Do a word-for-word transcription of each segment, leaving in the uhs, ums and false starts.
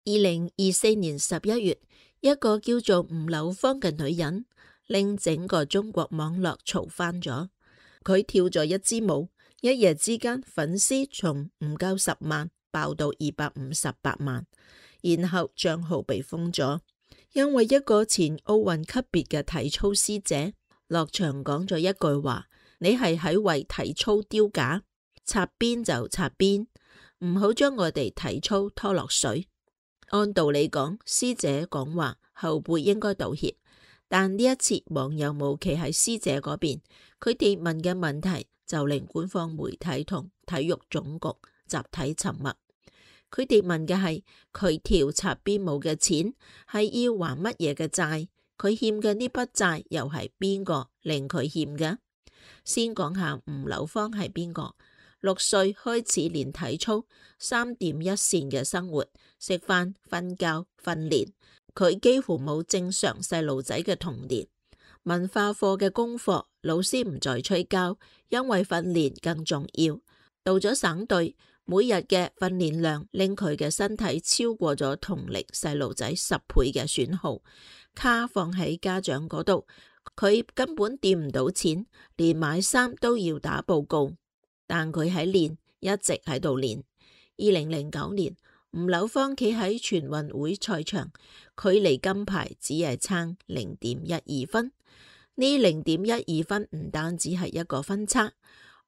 二零二四年十一月，一個叫做吳柳芳嘅女人，令整個中國網絡嘈翻咗。佢跳咗一支舞，一夜之間粉絲從唔夠十萬爆到二百五十八萬，然後賬號被封咗，因為一個前奧運級別嘅體操師姐落場講咗一句話：你係喺為體操丟架，擦邊就擦邊，唔好將我哋體操拖落水。按道理講，師姐講話後輩應該道歉，但呢一次網友冇企喺師姐嗰邊，佢哋問嘅問題就令官方媒體同體育總局集體沉默。佢哋問嘅係佢跳擦邊舞嘅錢係要還乜嘢嘅債，佢欠嘅呢筆債又係邊個令佢欠嘅？先講下吳柳芳係邊個？六歲開始練體操，三點一線嘅生活，食飯、瞓覺、訓練。佢幾乎冇正常細路仔嘅童年。文化課嘅功課，老師唔再催交，因為訓練更重要。到咗省隊，每日嘅訓練量令佢嘅身體超過咗同齡細路仔十倍嘅損耗。卡放喺家長嗰度，佢根本掂唔到錢，連買衫都要打報告。但佢喺練，一直喺度練。二零零九年，吳柳芳企喺全運會賽場，距離金牌只係差零點一二分。呢零點一二分唔單止係一個分差，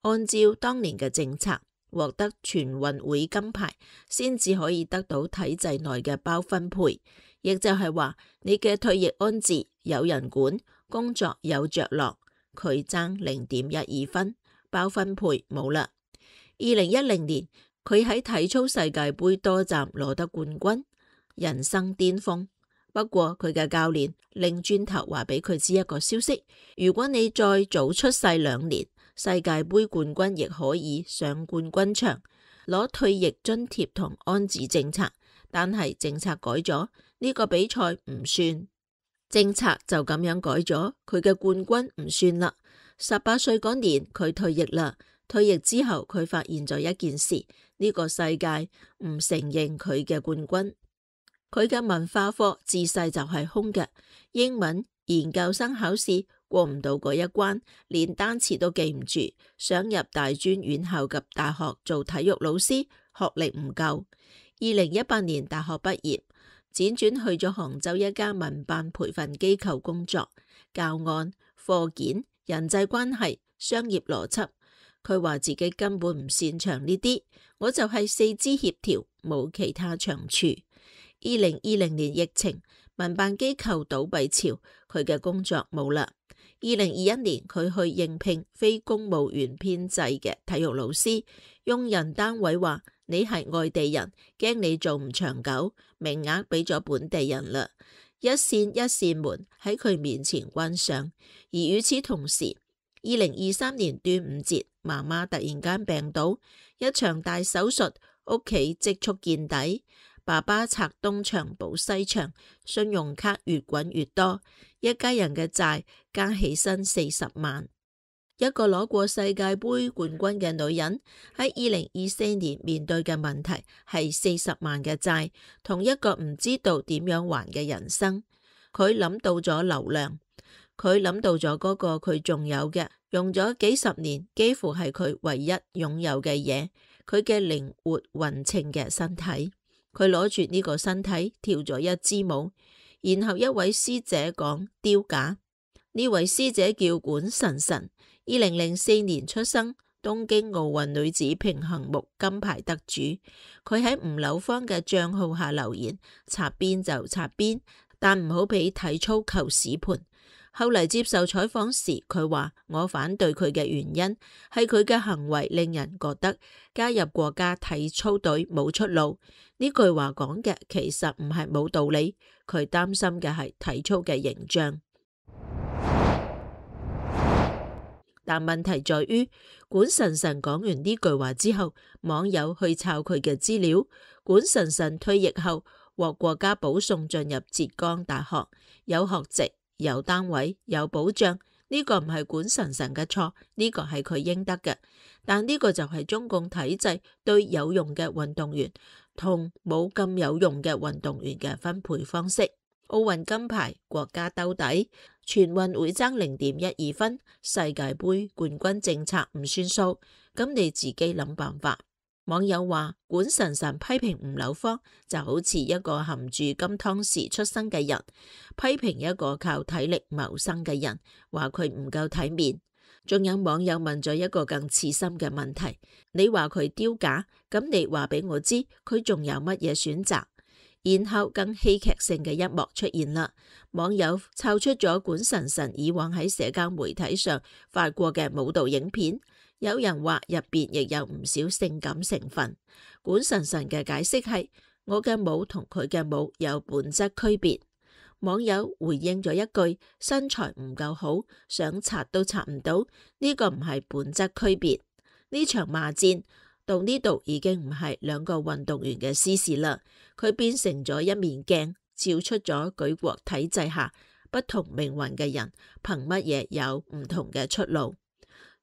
按照當年嘅政策，獲得全運會金牌先至可以得到體制內嘅包分配，亦就係話你嘅退役安置有人管，工作有着落。佢爭零點一二分。包分配冇啦。二零一零年，佢喺體操世界盃多站攞得冠軍，人生巔峰。不過佢嘅教練擰轉頭話俾佢知一個消息：如果你再早出世兩年，世界盃冠軍亦可以上冠軍場攞退役津貼同安置政策。但係政策改咗，呢個比賽唔算。政策就咁樣改咗，佢嘅冠軍唔算啦。十八歲嗰年佢退役啦，退役之後佢發現咗一件事，呢個世界唔承認佢嘅冠軍。佢嘅文化課自細就係空嘅，英文研究生考試過唔到嗰一關，連單詞都記唔住，想入大專院校及大學做體育老師，學歷唔夠。二零一八年大學畢業，輾轉去咗杭州一家民辦培訓機構工作，教案、課件、人際關係、商業邏輯，佢話自己根本唔擅長呢啲，我就係四肢協調，冇其他長處。二零二零年疫情，民辦機構倒閉潮，佢嘅工作冇啦。二零二一年佢去應聘非公務員編制嘅體育老師，用人單位話你係外地人，驚你做唔長久，名額俾咗本地人啦。一扇一扇門喺佢面前關上，而與此同時，二零二三年端午節，媽媽突然間病倒，一場大手術，屋企積蓄見底，爸爸拆東牆補西牆，信用卡越滾越多，一家人嘅債加起身四十萬。一個攞過世界盃冠軍嘅女人喺二零二四年面對嘅問題係四十萬嘅債，同一個唔知道點樣還嘅人生。佢諗到咗流量，佢諗到咗嗰個佢仲有嘅，用咗幾十年，幾乎係佢唯一擁有嘅嘢，佢嘅靈活勻稱嘅身體。佢攞住呢個身體跳咗一支舞，然後一位師姐講丟架。呢位師姐叫管晨晨，二零零四年出生，東京奧運女子平衡木金牌得主。佢喺吳柳芳嘅賬號下留言：擦邊就擦邊，但唔好俾體操求屎盤。後嚟接受採訪時，佢話：我反對佢嘅原因係佢嘅行為令人覺得加入國家體操隊冇出路。呢句話講嘅其實唔係冇道理，佢擔心嘅係體操嘅形象。但問題在於，管晨晨講完呢句話之後，網友去抄佢嘅資料。管晨晨退役後獲國家保送進入浙江大學，有學籍、有單位、有保障。呢個唔係管晨晨嘅錯，呢個係佢應得嘅。但呢個就係中共體制對有用嘅運動員同冇咁有用嘅運動員嘅分配方式。奧運金牌國家兜底，全運會爭零點一二分，世界盃冠軍政策唔算數，咁你自己諗辦法。網友話管晨晨批評吳柳芳就好似一個含住金湯匙出生嘅人，批評一個靠體力謀生嘅人，話佢唔夠體面。仲有網友問咗一個更刺心嘅問題，你話佢丟架，咁你話俾我知佢仲有乜嘢選擇？然後更戲劇性嘅一幕出現啦，網友抄出咗管晨晨以往喺社交媒體上發過嘅舞蹈影片，有人話入邊亦有唔少性感成分。管晨晨嘅解釋係：我嘅舞同佢嘅舞有本質區別。網友回應咗一句：身材唔夠好，想擦都擦唔到，呢個唔係本質區別。呢場罵戰到呢度已經唔係兩個運動員嘅私事啦，佢變成咗一面鏡，照出咗舉國體制下不同命運嘅人憑乜嘢有唔同嘅出路。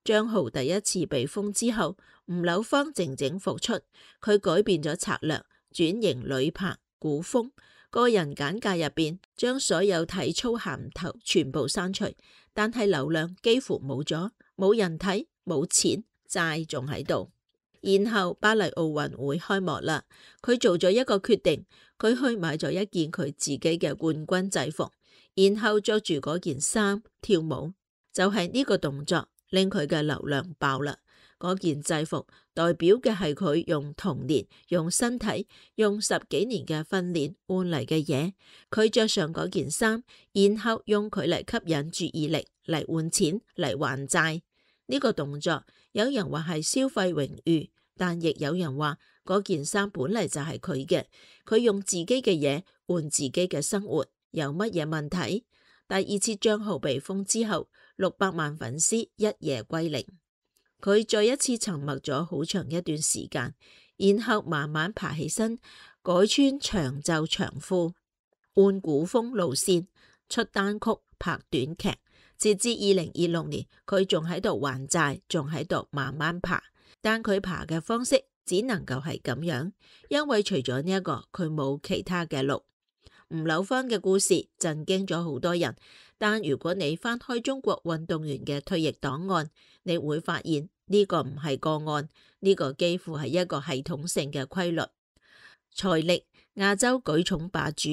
張浩第一次被封之後，吳柳芳靜靜復出，佢改變咗策略，轉型女排古風，個人簡介入邊將所有體操銜頭全部刪除，但係流量幾乎冇咗，冇人睇，冇錢，債仲喺度。然後巴黎奧運會開幕啦，佢做咗一個決定，佢去買咗一件佢自己嘅冠軍制服，然後着住嗰件衫跳舞，就係呢個動作令佢嘅流量爆啦。嗰件制服代表嘅係佢用童年、用身體、用十幾年嘅訓練換嚟嘅嘢。佢着上嗰件衫，然後用佢嚟吸引注意力，嚟換錢，嚟還債。呢個動作有人話係消費榮譽，但亦有人話嗰件衫本嚟就係佢嘅，佢用自己嘅嘢換自己嘅生活，有乜嘢問題？第二次賬號被封之後，六百萬粉絲一夜歸零。佢再一次沉默咗好長一段時間，然後慢慢爬起身，改穿長袖長褲，換古風路線，出單曲，拍短劇。截至二零二六年，佢仲喺度還債，仲喺度慢慢爬，但佢爬嘅方式只能夠係咁樣，因為除咗呢一個，佢冇其他嘅路。吳柳芳嘅故事震驚咗好多人，但如果你翻開中國運動員嘅退役檔案，你會發現呢個唔係個案，呢個幾乎係一個系統性嘅規律。財力亞洲舉重霸主，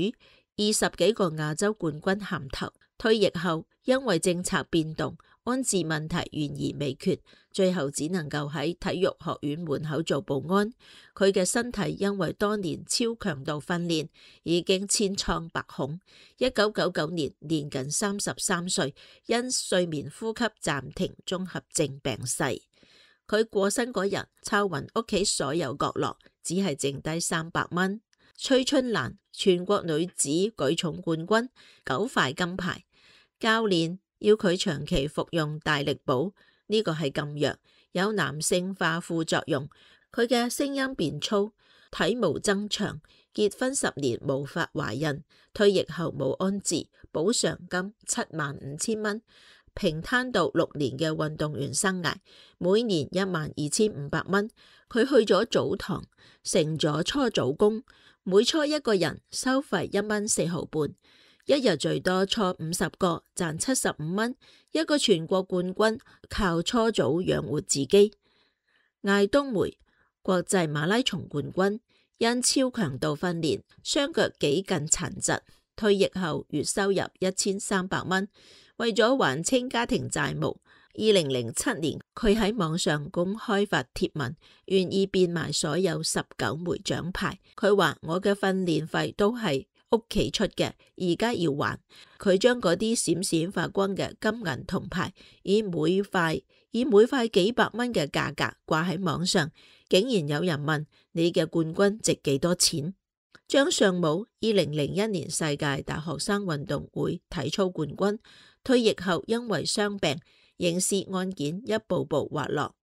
二十幾個亞洲冠軍銜頭，退役後因為政策變動，安置問題懸而未決，最後只能夠喺體育學院門口做保安。佢嘅身體因為多年超強度訓練已經千瘡百孔。一九九九年年僅三十三歲，因睡眠呼吸暫停綜合症病逝。佢過身嗰日，抄勻屋企所有角落，只係剩低三百蚊。崔春蘭全國女子舉重冠軍，九塊金牌。教練要佢長期服用大力寶，呢個係禁藥，有男性化副作用。佢嘅聲音變粗，體毛增長，結婚十年無法懷孕，退役後冇安置，補償金七萬五千蚊。平攤到六年嘅運動員生涯，每年一萬二千五百蚊。佢去咗澡堂，成咗初早工，每搓一個人收費一蚊四毫半，一日最多搓五十個，賺七十五蚊。一個全國冠軍靠搓澡養活自己。艾冬梅國際馬拉松冠軍，因超強度訓練，雙腳幾近殘疾，退役後月收入一千三百蚊。為咗還清家庭債務，二零零七年佢喺網上公開發帖文，願意變賣所有十九枚獎牌。佢話我嘅訓練費都係屋企出嘅，而家要還。佢將嗰啲閃閃發光嘅金銀銅牌，以每塊以每塊幾百蚊嘅價格掛喺網上，竟然有人問你嘅冠軍值幾多錢？張相武二零零一年世界大學生運動會體操冠軍，退役後因為傷病，刑事案件一步步滑落。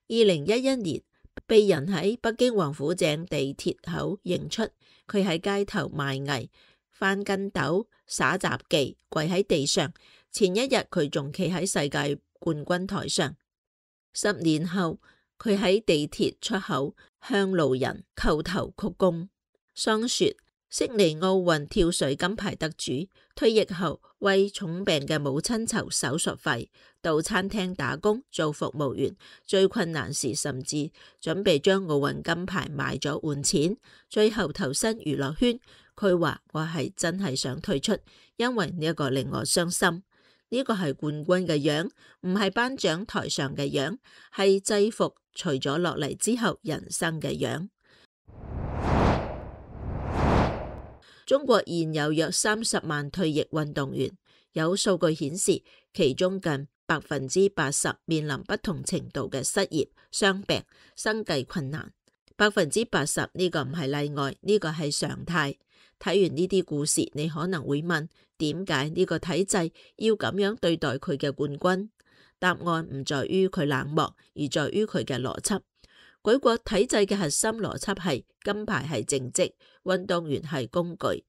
二零一一年被人喺北京王府井地鐵口認出，佢喺街頭賣藝、翻跟斗、耍雜技，跪喺地上。前一日佢仲企喺世界冠軍台上。十年後佢喺地鐵出口向路人叩頭鞠躬。桑說，悉尼奧運跳水金牌得主退役後為重病嘅母親籌手術費，到餐廳打工做服務員，最困難時甚至準備將奧運金牌賣咗換錢，最後投身娛樂圈。佢話，我係真係想退出，因為呢一個令我傷心。呢個係冠軍嘅樣，唔係頒獎台上嘅樣，係制服除咗落嚟之後人生嘅樣。中國現有約三十萬退役運動員，有數據顯示，其中近百分之八十面臨不同程度嘅失業、傷病、生計困難。百分之八十呢個唔係例外，呢個係常態。睇完呢啲故事，你可能會問，點解呢個體制要咁樣對待佢嘅冠軍？答案唔在於佢冷漠，而在於佢嘅邏輯。舉國體制嘅核心邏輯係金牌係正職，運動員係工具。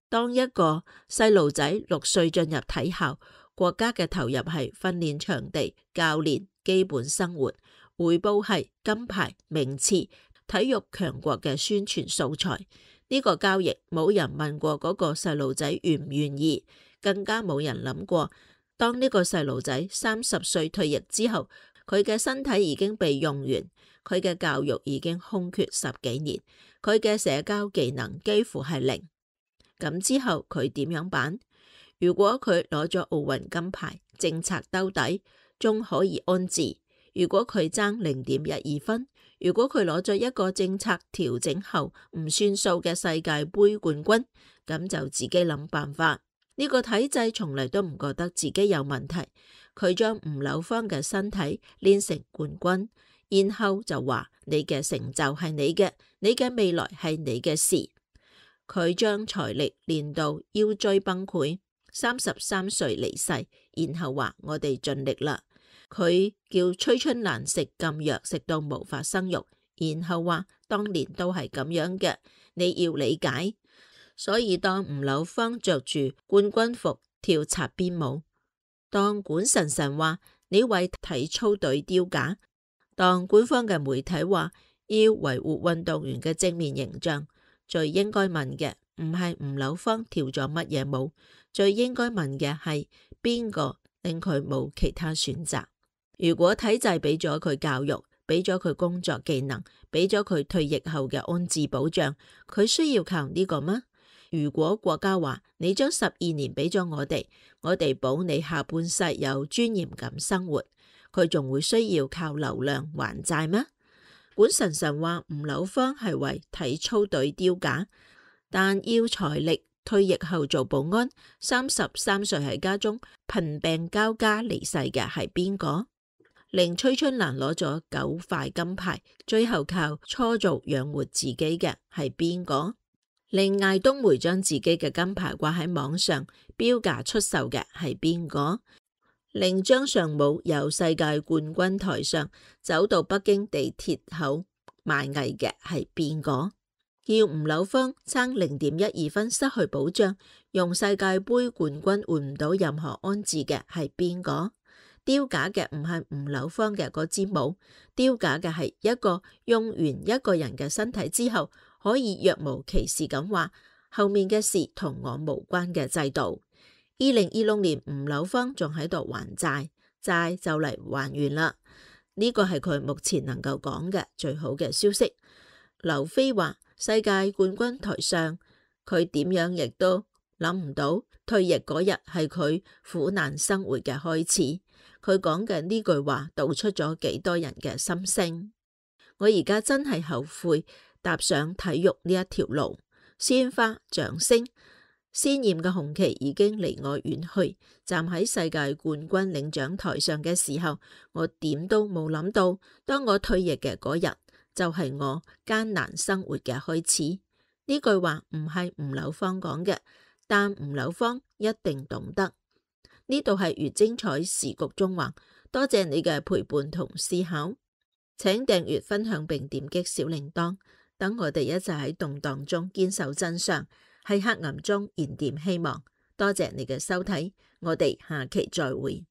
當一個細路仔六歲進入體校，國家嘅投入係訓練場地、教練、基本生活，回報係金牌、名次、體育強國嘅宣傳素材。呢個交易冇人問過嗰個細路仔願唔願意，更加冇人諗過，當呢個細路仔三十歲退役之後，佢嘅身體已經被用完，佢嘅教育已經空缺十幾年，佢嘅社交技能幾乎係零。咁之後佢點樣辦？如果佢攞咗奧運金牌，政策兜底，仲可以安置；如果佢爭零點一二分，如果佢攞咗一個政策調整後唔算數嘅世界盃冠軍，咁就自己諗辦法。呢個體制從嚟都唔覺得自己有問題，佢將吳柳芳嘅身體練成冠軍，然後就話你嘅成就係你嘅，你嘅未來係你嘅事。佢將財力練到腰椎崩潰，三十三歲離世，然後話我哋盡力啦。佢叫崔春蘭食禁藥食到無法生育，然後話當年都係咁樣嘅，你要理解。所以當吳柳芳着住冠軍服跳擦邊舞，當管晨晨話你為體操隊丟架，當官方嘅媒體話要維護運動員嘅正面形象，最應該問嘅唔係吳柳芳跳咗乜嘢舞，最應該問嘅係邊個令佢冇其他選擇。如果體制俾咗佢教育，俾咗佢工作技能，俾咗佢退役後嘅安置保障，佢需要靠呢個嗎？如果國家話你將十二年俾咗我哋，我哋保你下半世有尊嚴咁生活，佢仲會需要靠流量還債咩？管晨晨話吳柳芳係為體操隊丟架，但要財力，退役後做保安，三十三歲喺家中貧病交加離世嘅係邊個？令崔春蘭攞咗九塊金牌，最後靠搓澡養活自己嘅係邊個？令艾冬梅將自己嘅金牌掛喺網上標價出售嘅係邊個？令張尚武由世界冠軍台上走到北京地鐵口賣藝嘅係邊個？叫吳柳芳爭零點一二分失去保障，用世界盃冠軍換唔到任何安置嘅係邊個？丟架嘅唔係吳柳芳嘅嗰支舞，丟架嘅係一個用完一個人嘅身體之後，可以若無其事咁話後面嘅事同我無關嘅制度。二零二六年吳柳芳仲喺度還債，債就嚟還完啦。呢個係佢目前能夠講嘅最好嘅消息。劉飛話世界冠軍台上，佢點樣亦都諗唔到退役嗰日係佢苦難生活嘅開始。佢講嘅呢句話道出咗幾多人嘅心聲。我而家真係後悔踏上體育呢一條路，鮮花掌聲，鮮艷嘅紅旗已經離我遠去。站喺世界冠軍領獎台上嘅時候，我點都冇諗到，當我退役嘅嗰日就係我艱難生活嘅開始。呢句話唔係吳柳芳講嘅，但吳柳芳一定懂得。呢度係越精彩時局中橫，多謝你嘅陪伴同思考，請訂閱分享並點擊小鈴鐺，等我哋一齊喺動盪中堅守真相，喺黑暗中燃點希望。多謝你嘅收睇，我哋下期再會。